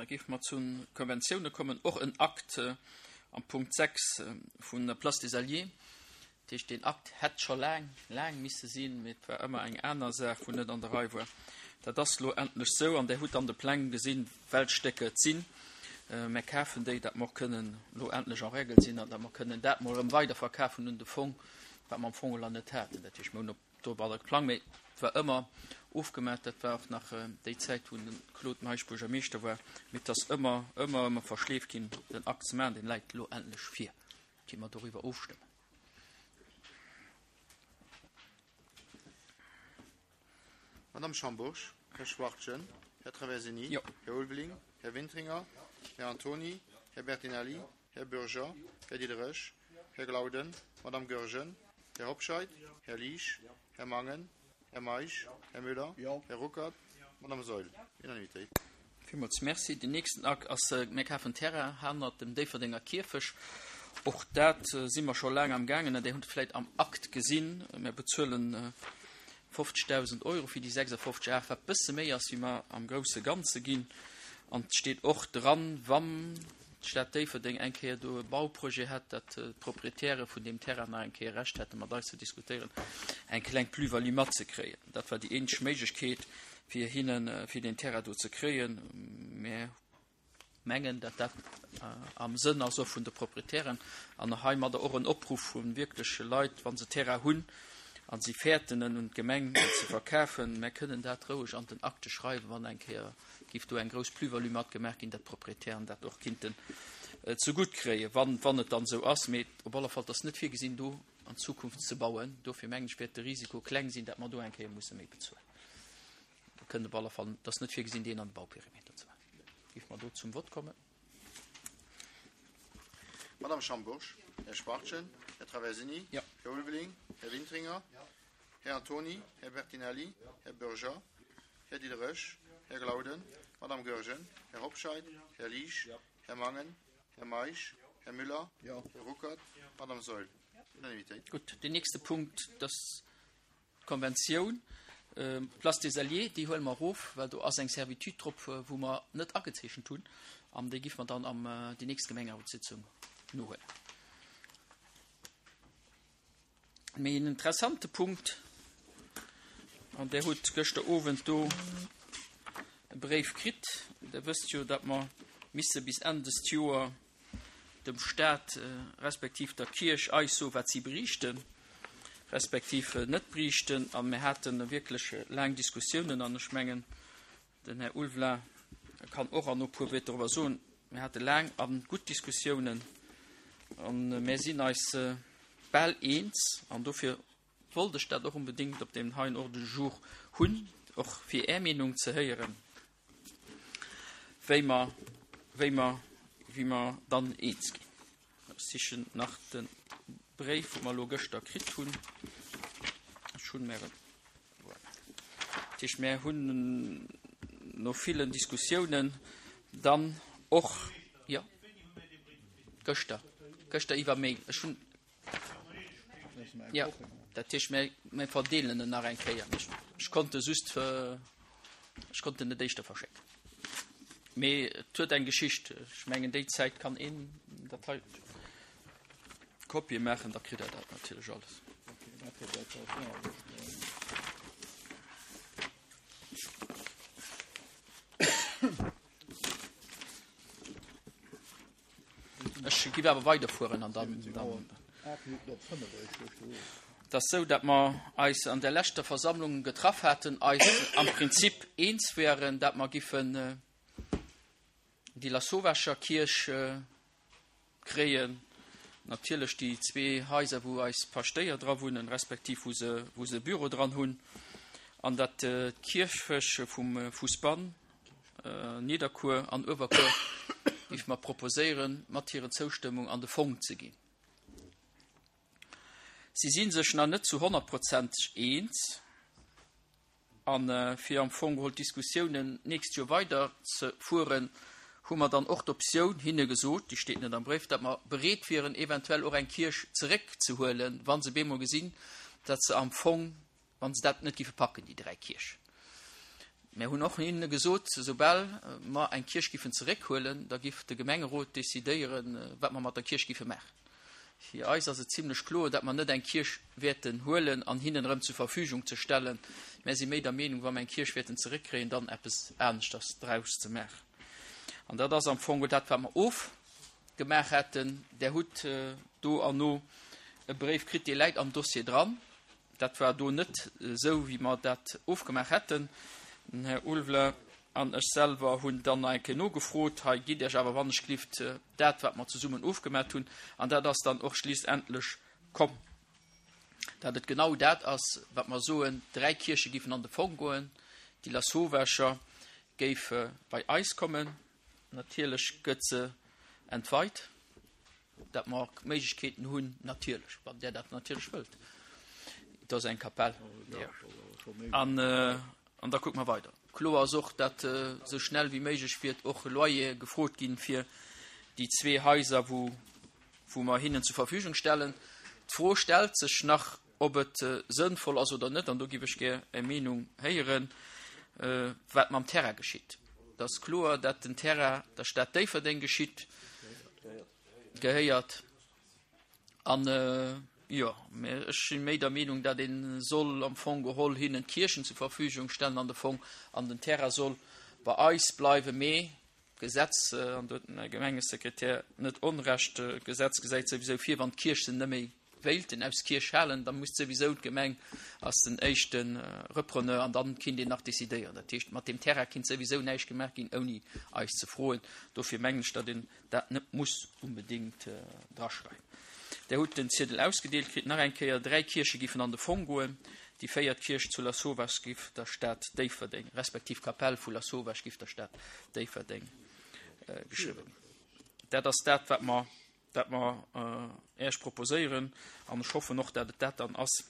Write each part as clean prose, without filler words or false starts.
Da géife mer zu Konventioune kommen, och en Akt am Punkt 6 vun der Place des Alliés. Dat heescht, deen Akt hätt scho laang, laang misse sinn, mee et war ëmmer eng aner Saach, wou net an der Rei war. Dat ass elo endlech esou an Der hutt an de Pläng gesinn, welch Stécker et sinn. Mär kafen déi, datt mer och kënnen elo endlech en règle sinn an datt mer kënnen dat mol erëm weiderverkafen un de Fong, wat mer am Fong elo net haten. Dat heescht, mer hunn op domadder geplangt, mee et war ëmmer ofgemaach. Dat war och nach déi Zäit, wou de Claude Meisch Buergermeeschter war. Mee et ass ëmmer, ëmmer, ëmmer verschleeft ginn, den Akt ze maachen. Deen läit elo endlech vir. Gi mer doriwwer ofstëmmen. Madame Schambourg, Här Schwachtgen, Här Traversini, Jo. Här Ulveling, Här Wintringer, Här Antony, Här Bertinelli, Här Bürger, Här Diderich, Här Glauden, Madame Goergen, Här Hobscheit, Här Liesch, Här Mangen, Här Meisch, Här Müller, Här Ruckert, Madame Saeul. Unanimitéit. Villmools Merci. Den nächsten Akt ass, mir kafen Terrain hanert dem Déifferdenger Kierfech. Och dat si mer scho laang am gaangen an Dir hutt et vläicht am Akt gesinn. Mir bezuelen 50.000 Euro fir déi 56 Ar, wat bësse méi ass, wéi mer am grousse Ganze ginn. An et steet och dran, wann d'Stad Déifferdeng eng Kéier do e Bauprojet hätt, datt d'Proprietäre vun deem Terrain nach eng Kéier Recht hätte mat eis ze diskutéieren, eng kleng Plus-value matzekréien. Dat war déi eenzeg Méiglechkeet, fir hinnen, fir deen Terrain do ze kréien. Mä mengen, datt dat am Sënn ass och vun de Proprietären an heimadder och en Opruff vu wierkleche Leit, wa se Terrain hunn a si fäerten en un d'Gemeng ze verkafen, mär kënnen dat roueg an den Akte schreiwen, wann eng Kéier géif do eng grouss Plus-value matgemaach ginn, datt d'Proprietären dat och kinnten zegutt kréien, wann, wann et dann esou ass. Mee op alle Fall, et ass net virgesinn, do an Zukunft ze bauen. Dofir mengen ech, wäert de Risiko kleng sinn, datt mer do eng Kéier musse méi bezuelen. Do kënnt op alle Fall, et ass net virgesinn, deen an de Bauperimeter ze maachen. Géife mer do zum Vott kommen? Madame Schambourg, Här Schwachtgen, Här Traversini, Jo. Här Ulveling, Här Wintringer, Här Antony, Här Bertinelli, Här Bürger, Här Diderich, Här Glauden, Madame Goergen, Här Hobscheit, Här Liesch, Här Mangen, Här Meisch, Här Müller, Här Ruckert, Madame Saeul. Unanimitéit. Gutt, deen nächste Punkt, dass D'Konventioun Place des Alliés, déi huele mer erof, well do ass eng Servitude drop, wou mer net agezeechent hunn, an déi giff mer dann am déi nächst Gemengerotssitzung nohuelen. Mee en interessante Punkt, an Der hutt gëschter Owend do e Bréif kritt, Der wësst jo, datt mer misse bis Enn dëst Joer dem Staat respektiv der Kierch eis soen, wat si beriichten, respektiv net beriichten. A mir hate wierklech laang Diskussiounen an ech mengen, den Här Ulveling kann och an e puer Wierder doriwwer soen. Mir hate laang a gutt Diskussiounen a mir sinn eis bal eens an dofir wollt ech dat och onbedéngt op deem heien Ordre du jour hunn, och fir Är Meenung ze héieren. wéi mer, wéi mer, wéi mer dann eens ginn. Ech sichen nach de Bréif, wou mer elo gëschter kritt hunn. Ech hunn mer en, voilà. Dat heescht, mer hunn no villen Diskussiounen dann och, jo, gëschter, gëschter iwwer Mail. Ech hunn, Jo, dat heescht, mir, mir verdeelen en nach eng Kéier. Ech, ech konnt e just, ech konnt en net éischter verschécken. Mee et huet eng Geschicht. Ech mengen, déi Zäit kann een dat hei Kopie maachen, da kritt Der dat natierlech alles. Ech giff awer weiderfueren an dann. Et ass esou, datt mer eis an der leschter Versammlung getraff haten, eis am Prinzip eens wären, datt mer giffen déi Lasauvescher Kierch kréien, natierlech déi zwee Haiser, wou eis Paschtéier dra wunnen, respektiv wou se, wou se e Büro dran hunn, an datt d'Kierfech vum Fussbann, Nidderkuer an Uewerkuer géife mer proposéieren, mat hirer Zoustëmmung an de Fong ze ginn. Si si sech nach net zu honnertprozenteg eens. A fir am Fong geholl d'Diskussiounen d'nächst Joer weider ze fueren, hu mer dann och d'Optioun hinne gesot, déi steet net am Bréif, datt mer bereet wieren, eventuell och eng Kierch zeréckzehuelen, wa se bemol gesinn, datt se am Fong, wa se dat net géife packen, déi 3 Kierchen. Mär hunn och hinne gesot, soubal mer eng Kierch giffen zeréckhuelen, da giff de Gemengerot decidéieren, wat mer mat der Kierch giffe maachen. Fir eis ass et zimlech kloer, dat mer net eng Kierch wäerten huelen an hinnen erëm zur Verfügung ze stellen. Mär si méi der Meenung, wa mer eng Kierch wäerten zeréckkréien, dann eppes aneschters draus ze maachen. An dat ass am Fong dat, wat mer ofgemaach hätten. Där hutt do erno e Bréif kritt, dee läit am Dossier dran. Dat war do net esou, wéi mer dat ofgemaach hätten. Den Här Ulveler an ech selwer hunn dann nach eng Kéier nogefrot, Hei gitt Iech awer wannechgelift dat, wat mer zesummen ofgemaach hunn. An dat ass dann och schliissendlech komm, dat et genau dat ass, wat mer soen, Dräi Kierche giffen an de Fong goen, déi Lasauvescher géif bei eis kommen. Natierlech gëtt se entweit. Dat mer och Méiglechkeeten hunn, natierlech, wann Der dat natierlech wëllt. Et ass eng Kapell. An, an da kucke mer weider. Kloer ass och, datt esou schnell wéi méiglech wäert och e Loyer gefrot ginn fir déi zwee Haiser, wou, wou mer hinnen zur Verfügung stellen. D'Fro stellt sech nach, ob et sënnvoll ass oder net, an do giff ech gär Är Meenung héieren, wat mam Terrain geschitt. Et ass kloer, dat den Terrain der Stad Déifferdeng geschitt, gehéiert. An, jo, mä ech si méi der Meenung, dat ee soll am Fong geholl hinnen d'Kierchen zur Verfügung stellen an de Fong, an den Terrain soll bei eis bleiwen. Mee d'Gesetz, an do huet den Här Gemengesekretär net Onrecht, d'Gesetz gesäit souwisou vir, wann d'Kierch se net méi wéilten aus Kierch halen, da muss souwisou d'Gemeng ass den éischte Repreneur an dann kinnt een nach decidéieren. Dat heescht, mat deem Terrain kinnt souwisou näischt gemaach ginn, ouni eis ze froen. Dofir mengen ech, datt een dat net muss unbedéngt draschreiwen. Der hutt den Ziedel ausgedeelt kritt. Nach eng Kéier, Dräi Kierche giffen an de Fong goen. Déi véiert Kierch zu Lasauvage giff der Stad Déifferdeng, respektiv d'Kapell vu Lasauvage giff der Stad Déifferdeng geschriwwen ginn. Dat ass dat, wat mer dat mer Äech proposéieren, an ech hoffen och, dat et dat dann ass,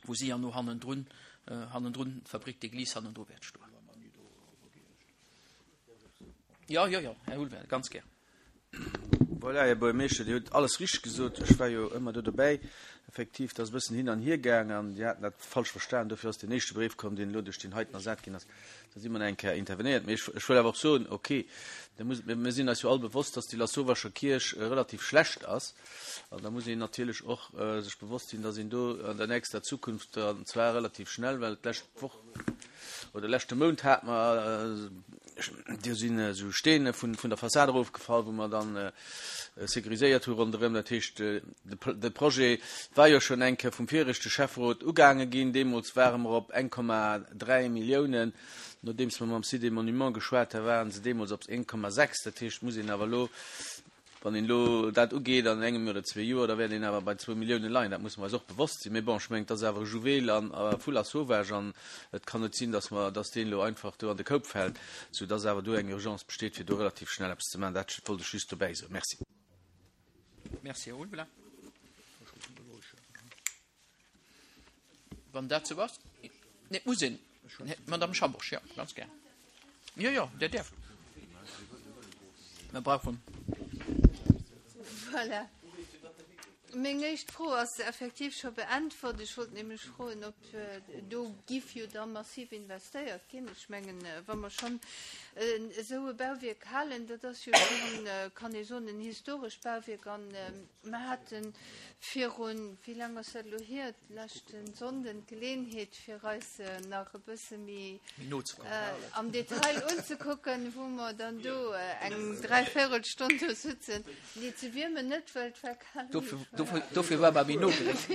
wou si herno hannendrun, hannendrun, d'Fabrique d'église hannendru wäert stoen. Jo, jo, jo, Här Houlwell, ganz gär. Voilà, Här Buergermeeschter, Dir hutt alles richteg gesot. Ech war jo ëmmer do dobäi. Effektiv, et ass e bëssen hin an hier gaang an Dir haten dat falsch verstan. Dofir ass deen éischte Bréif komm, deen elo duerch deen heiten ersat ginn ass. Da si mer nach eng Kéier intervenéiert. Mee ech, ech wëll awer och soen, okay, da muss, mir, mir sinn eis jo all bewosst, dass déi Lasauvascher Kierch relativ schlecht ass. An da muss een natierlech och sech bewosst sinn, dass een do an der nächster Zukunft, an zwar relativ schnell, well d'lescht Woch oder leschte Mount hate mer, do sinn esou Steene vun, vun der Fassad erofgefall, wou mer dann sécuriséiert hu ronderëm. Dat heescht, de Projet war jo schonn eng Kéier vum viregte Schäfferot ugaange ginn. Deemools ware mer op 1,3 Milliounen. Nodeems mer mam Site des Monuments geschwat hu ware se deemools op 1,6. Dat heescht, muss een awer elo, wann een elo dat ugeet an engem oder zwee Joer, da wäert een awer bei zwou Milliounen leien. Dat musse mer eis och bewosst sinn. Mee bon, ech mengen, et ass awer e Juwel a vu Lasauvage an et kann net sinn, dass mer, dass deen elo einfach do an de Koup fält, soudass awer do eng Urgence besteet, fir do relativ schnell eppes ze maachen. Dat wollt ech just dobäi soen. Merci. Merci, Här Ulveling. Wann dat sou ass, nee, et muss een, Madame Schambourg, jo, ganz gär. Jo, jo, Dir däerft. Mir brauchen. Voilà. Meng éischt Fro ass effektiv scho beäntwert. Ech wollt nämlech froen, ob do giff jo da massiv investéiert ginn. Ech mengen, wa mer schonn esou e Bauwierk halen, dat ass jo schonn, kann ee soen, en historescht Bauwierk. An mer hate virun, wéi laang ass dat elo hier, leschte Sonnden d'Geleeënheet, fir eis nach e bësse méi am Detail unzekucken, wou mer dann do eng Dräivéierelstonn do sutzen. Nee, ze wiermen net, well et war kal. Dofir war mer méi no geréckt.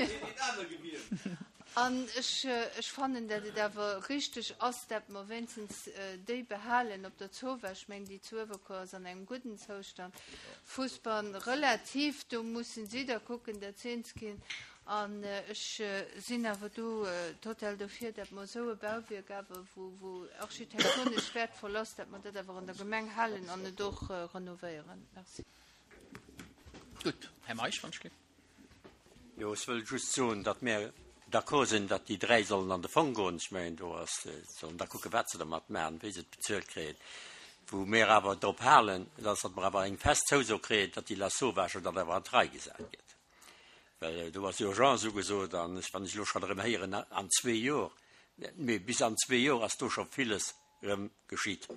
An ech, ech fannen, dat et awer richteg ass, dat mer wéinstens déi behalen op der Zowa. Ech mengen, déi zu Uewerkuer ass an engem gudden Zoustand. Fussbann relativ, do mussen si da kucken, dat se eens ginn. An ech sinn awer do total dofir, dat mer esou e Bauwierk awer, wou, wou architektonesch wäertvoll ass, dat mer dat awer an der Gemeng halen an et och renovéieren. Merci. Gutt, Här Meisch, wann ech gleef. Jo, ech wëll just soen, datt mär d'accord sinn, datt déi 3 sollen an de Fong goen. Ech mengen, do ass, se sollen da kucken, wat se dermat maachen, wéi se et bezuelt kréien. Wou mär awer drop halen, dat ass, datt mer awer eng fest Zouso kréien, datt déi Lasauvage dann awer an d'Rei gesat gëtt. Well do ass Urgence ugesot an ech, wann ech elo schonn erëm héieren, an zwee Jor, mee bis an zwee Jor ass do scho villes. erëm geschitt.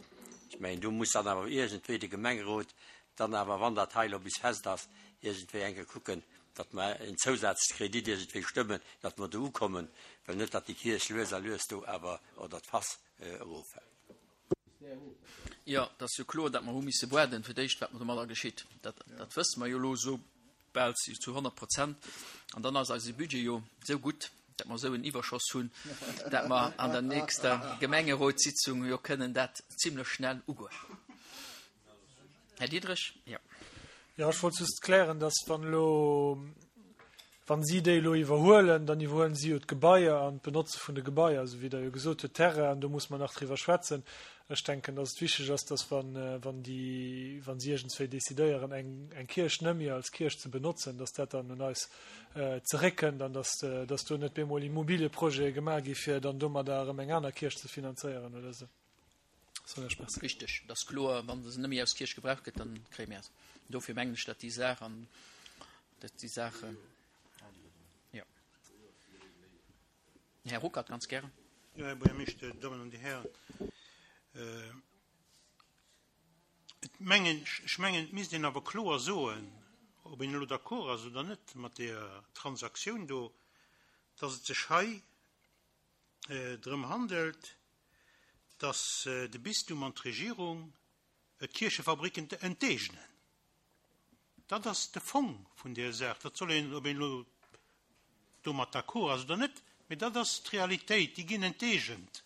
Ech mengen, do muss dann awer iergendwéi de Gemengerot dann awer, wann dat hei elo bis fest ass, iergendwéi eng Kéier kucken, datt mer en Zousazkredit iergendwéi stëmmen, datt mer do ukommen, well net datt déi Kierch lues a lues do awer, oder d'Fass, eroffält. Jo, et ass jo kloer, datt mer hu misse waarden, fir d'éischt, wat domadder geschitt. Dat, dat wësse mer jo elo esou bal zu 100 Prozent. An dann ass eise Budget jo esou gutt, datt mer esou en Iwwerschoss hunn, datt mer an der nächster Gemengerotssitzung jo kënnen dat zimlech schnell ugoen. Här Diderich, jo. Jo, ech wollt just klären, datt wann elo, wa si déi elo iwwerhuelen, dann iwwerhuelen si jo d'Gebaier an d'Benotze vun de Gebaier, esou wéi Der jo gesot hutt, d'Terrainen, do muss mer nach driwwer schwätzen. Ech denken, datt et wichteg ass, datt wann, wann déi, wa si iergendswéi decidéieren, eng, eng Kierch nëmme als Kierch ze benotzen, datt dat dann un eis zeréckkënnt an datt, datt do net bemol Immobilieprojete gemaach gi fir dann domadder erëm eng aner Kierch ze finanzéieren oder esou. Soll ech merci. Richteg, et ass kloer, wa se nëmme aus Kierch gebraucht gëtt, dann kréie mir se. Dofir mengen ech, datt déi Saach an, datt déi Saach, jo. Här Ruckert, ganz gären. Jo, Här Buergermeeschter, Dir Dammen an Dir Hären, et mengen, ech mengen, et misst een awer kloer soen, ob een elo d'accord ass oder net mat deeër Transaktioun do, dass et sech hei drëm handelt, dass de Bistum an d'Regierung d'Kierchefabricken enteegnen. Dat ass de Fong vun där Saach. Dat soll een, ob een elo domat d'accord ass oder net, mee dat ass d'Realitéit. Déi ginn enteegent.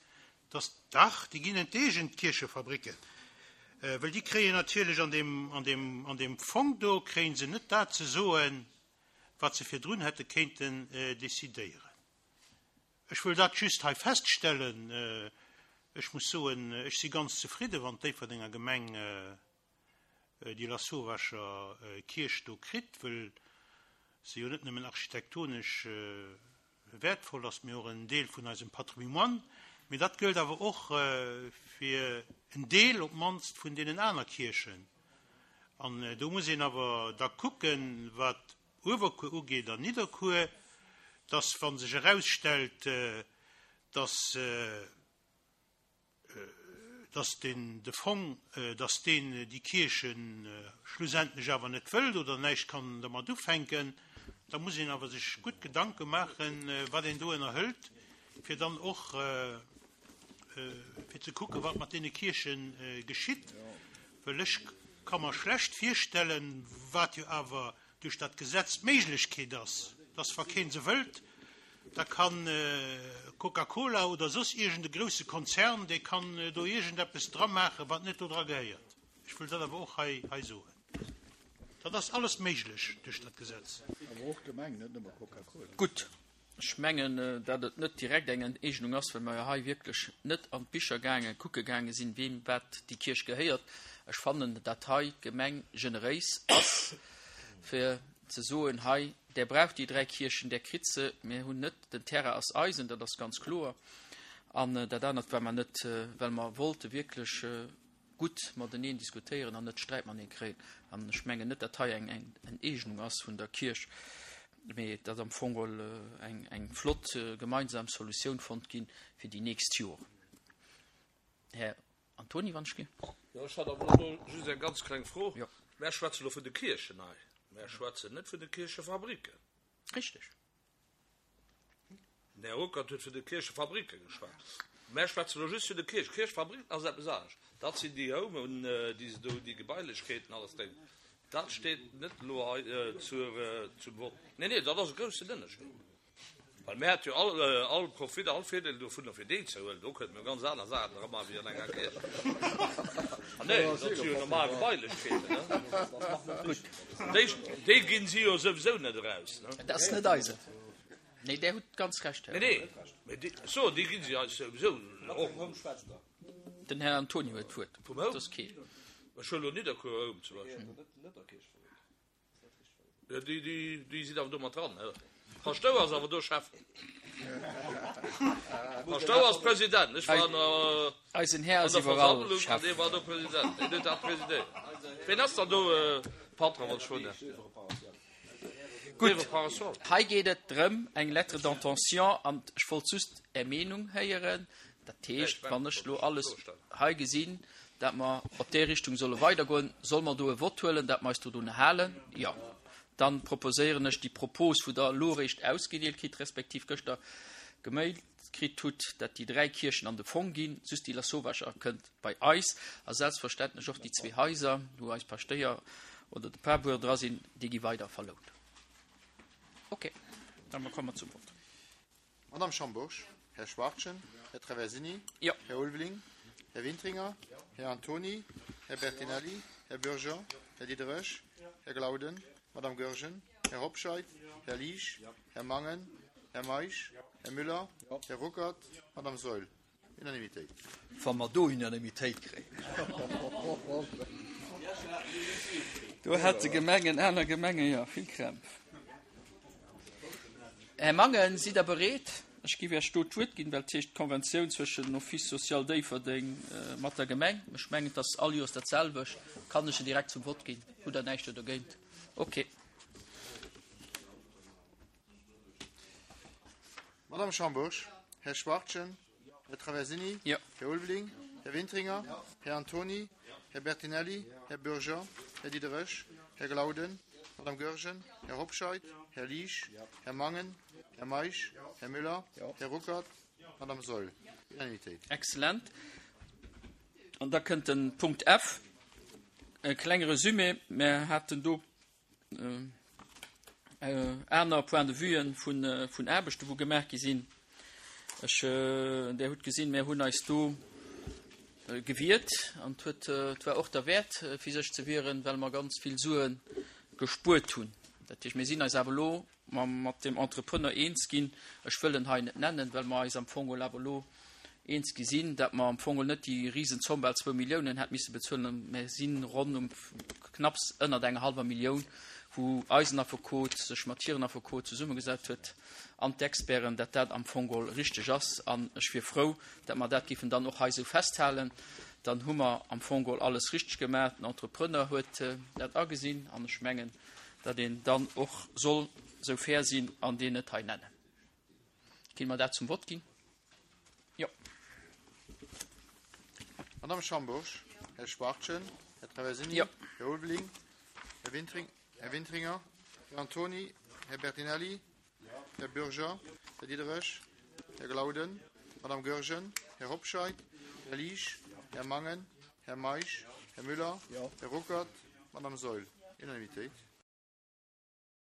Dass, dach, déi ginn enteegent, d'Kierchefabricken, well déi kréien natierlech an deem, an deem, an deem Fong do kréie se net dat ze soen, wat se virdrun hätte kéinten decidéieren. Ech wëll dat just hei feststellen. Ech muss soen, ech si ganz zefridde wann d'Déifferdenger Gemeng déi Lasauvescher Kierch do kritt, wëll se jo net nëmmen architektonesch wäertvoll ass, mee och en Deel vun eisem Patrimoine. Mee dat gëllt awer och fir en Deel op d'mannst vun deenen aner Kierchen. An do muss een awer da kucken, wat Uewerkuer ugeet an Nidderkuer, dass, wa sech erausstellt, dass dass den de Fong, dass deen déi Kierche schlussendlech awer net wëllt oder näischt kann dermat ufänken, da muss een awer sech gutt Gedanke maachen, wat een do ënnerhëlt, fir dann och fir ze kucken, wat mat deene Kierche geschitt. Well ech ka mer schlecht virstellen, wat jo awer duerch dat Gesetz d'Méiglechkeet ass, dass wa kee se wëllt, da kann Coca-Cola oder soss iergend e grousse Konzern, dee kann do iergendeppes dra maachen, wat net do dra gehéiert. Ech wëll dat awer och hei hei soen. Dat ass alles méiglech duerch dat Gesetz. Awer och d'Gemeng, net nëmme Coca-Cola. Gutt, ech mengen, datt et net direkt eng Enteegnung ass, well mer jo hei wierklech net an d'Bicher gaange kucke gaange sinn, weem wat déi Kierch gehéiert. Ech fannen, datt hei d'Gemeng generéis ass, fir ze soen, hei, där braucht déi 3 Kierchen, där kritt se. Mir hunn net, den Terrain ass eisen, dat ass ganz kloer. An dat anert war mer net, well mer wollte wierklech gutt mateneen diskutéieren an net Sträit matenee kréien. An ech mengen net, datt hei eng Enteegnung ass vun der Kierch, mee datt am Fong geholl eng, eng flott gemeinsam Solutioun fonnt ginn fir déi nächst Joren. Här Antoni, wann ech ginn. Jo, ech hat awer elo just eng ganz kleng Fro. Jo. Mär schwätzen elo vun de Kierchen hei. Mär schwätzen net vun de Kierchefabricken. Richteg. Den Här Ruckert huet vun de Kierchefabricke geschwat. Mär schwätzen elo just vun de Kierchen. Kierchefabricken ass eppes anescht. Dat sinn déi Homen, déi se do hunn, déi Gebailechkeeten, alles Déng. Dat steet net elo hei zur, zum Vott. Nee, nee, dat ass e groussen Ënnerscheed. Well mir hätte jo all, all Profit, all Virdeel dovunner fir deen ze huelen. Do kënnte mir ganz aner Saachen dra maachen wéi an enger Kierch. Ah nee, dat si jo normal Gebailechkeeten, ne? Gutt. Déi, déi ginn si jo souwisou net eraus, ne? Dat ass net eisen. Nee, Där hutt ganz Recht, Här. Nee, nee, mee déi, ech soen, déi ginn si eis souwisou och. Den Här Antoni huet d'Wuert. Vum Home? Dat ass kee. Ech huelen elo Nidderkuer Home zum Beispill. Ja, déi, déi, déi sinn awer do mat dran. Paschtouer ass awer do Chef. Paschtouer ass President. Ech war an der, Eisen Här ass iwwerall Chef. Dee war do President. Deen huet dat presidéiert. Ween ass dann do Patron, wann ech froen däerf? Gutt, hei geet et drëm, eng Lettre d'intention, an ech wollt just Är Meenung héieren. Dat heescht, wann ech elo alles hei gesinn, dat mer op déi Richtung solle weidergoen, solle mer do e Vott huelen, dat mer eis dodun halen? Jo. Dann proposéieren ech déi Propos, wou Der elo eréischt ausgedeelt kritt, respektiv gëschter gemailt kritt hutt, dat déi 3 Kierchen an de Fong ginn, just déi Lasauvage kënnt bei eis a selbstverständlech och déi zwee Haiser, wou eis Paschtéier oder de Parbuer dra sinn, déi gi weider verlount. Okay, da komme mer zum Vott. Madame Schambourg, Här Schwachtgen, Här Traversini, Jo. Här Ulveling, Här Wintringer, Här Antony, Här Bertinelli, Här Bürger, Här Diderich, Här Glauden, Madame Goergen, Här Hobscheit, Här Liesch, Här Mangen, Här Meisch, Här Müller, Här Ruckert, Madame Saeul. Unanimitéit. Wa mer do Unanimitéit kréien. Do hätte Gemengen, aner Gemenge jo vill Krämpf. Här Mangen, sidd Der bereet? Ech géif Iech do d'Wuert ginn, well et heescht d'Konventioun zwëschen den Office social Déifferdeng mat der Gemeng. Ech mengen, et ass all Joers dat selwecht. Kann ech se direkt zum Vott ginn? Hutt Der näischt do dergéint? Okay. Madame Schambourg, Här Schwachtgen, Här Traversini, Jo. Här Ulveling, Här Wintringer, Här Antony, Här Bertinelli, Här Bürger, Här Diderich, Här Glauden, Madame Goergen, Här Hobscheit, Här Liesch, Här Mangen, Här Meisch, Här Müller, Här Ruckert, Madame Saeul. Unanimitéit. Excellent. An da kënnt den Punkt F. E klenge Resumé. Mir haten do Aner Point de vuen vun Aarbechten, wou gemaach gi sinn. Ech, Der hutt gesinn, mir hunn eis do gewiert an et huet, et war och derwäert, fir sech ze wieren, well mer ganz vill Sue gespuert hunn. Dat heescht, mir sinn eis awer elo mat deem Entrepreneur eens ginn, ech wëll en hei net nennen, well mer eis am Fong geholl awer elo eens gi sinn, datt mer am Fong geholl net déi Risenzomm, bal zwou Milliounen, hätt misse bezuelen, mä sinn ronn um knapps ënnert enger hallwer Millioun, wou eisen Affekot sech mat hiren Affekot zesummegesat huet an d'Experten, datt dat am Fong geholl richteg ass. An ech wier frou, datt mer dat géifen dann och hei esou festhalen. Dann hu mer am Fong geholl alles richteg gemaach. Den Entrepreneur huet dat agesinn an ech mengen, datt een dann och soll esou fair sinn an deen net hei nennen. Kinne mer dat zum Vott ginn? Jo. Madame Schambourg, Här Schwachtgen, Här Traversini, Jo. Här Ulveling, Här Wintring, Här Wintringer, Här Antony, Här Bertinelli, Här Bürger, Här Diderich, Här Glauden, Madame Goergen, Här Hobscheit, Här Liesch, Här Mangen, Här Meisch, Här Müller, Här Ruckert, Madame Saeul. Unanimitéit.